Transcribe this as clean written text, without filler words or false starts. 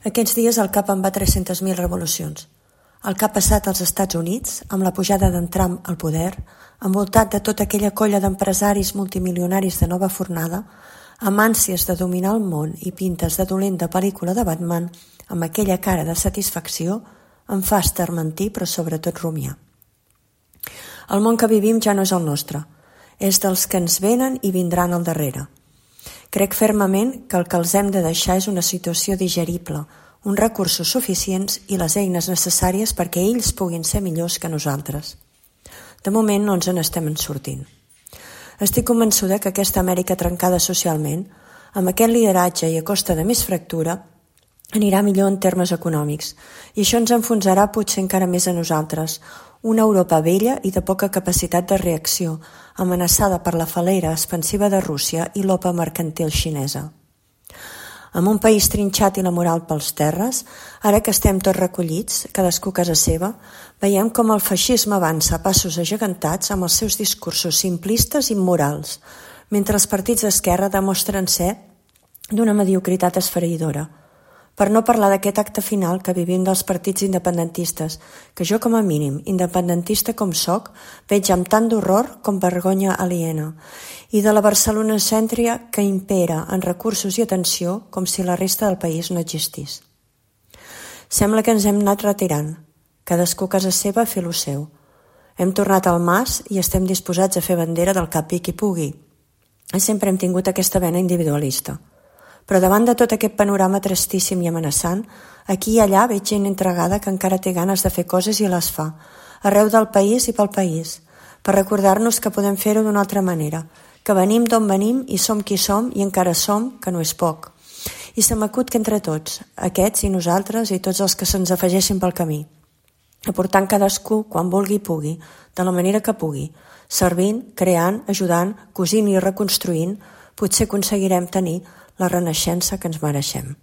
Aquests dies el cap en va 300.000 revolucions. El que ha passat als Estats Units, amb la pujada d'en Trump al poder, envoltat de tota aquella colla d'empresaris multimilionaris de nova fornada, amb ànsies de dominar el món i pintes de dolent de pel·lícula de Batman, amb aquella cara de satisfacció, em fa estarmentir però sobretot rumiar. El món que vivim ja no és el nostre, és dels que ens venen i vindran al darrere. Crec fermament que el que els hem de deixar és una situació digerible, uns recursos suficients i les eines necessàries perquè ells puguin ser millors que nosaltres. De moment no ens en estem en sortint. Estic convençuda que aquesta Amèrica trencada socialment, amb aquest lideratge i a costa de més fractura, anirà millor en termes econòmics, i això ens enfonsarà potser encara més a nosaltres, una Europa vella i de poca capacitat de reacció, amenaçada per la falera expansiva de Rússia i l'opa mercantil xinesa. Amb un país trinxat i la moral pels terres, ara que estem tots recollits, cadascú a casa seva, veiem com el feixisme avança a passos agegantats amb els seus discursos simplistes i immorals, mentre els partits d'esquerra demostren ser d'una mediocritat esfereïdora. Per no parlar d'aquest acte final que vivim dels partits independentistes, que jo com a mínim, independentista com soc, veig amb tant d'horror com vergonya aliena, i de la barcelonocèntria que impera en recursos i atenció com si la resta del país no existís. Sembla que ens hem anat retirant, cadascú a casa seva a fer lo seu. Hem tornat al mas i estem disposats a fer bandera del cap i qui pugui. Sempre hem tingut aquesta vena individualista. Però davant de tot aquest panorama tristíssim i amenaçant, aquí i allà veig gent entregada que encara té ganes de fer coses i les fa, arreu del país i pel país, per recordar-nos que podem fer-ho d'una altra manera, que venim d'on venim i som qui som i encara som, que no és poc. I se m'acut que entre tots, aquests i nosaltres i tots els que se'ns afegeixin pel camí, aportant cadascú quan vulgui i pugui, de la manera que pugui, servint, creant, ajudant, cosint i reconstruint, potser aconseguirem tenir la renaixença que ens mereixem.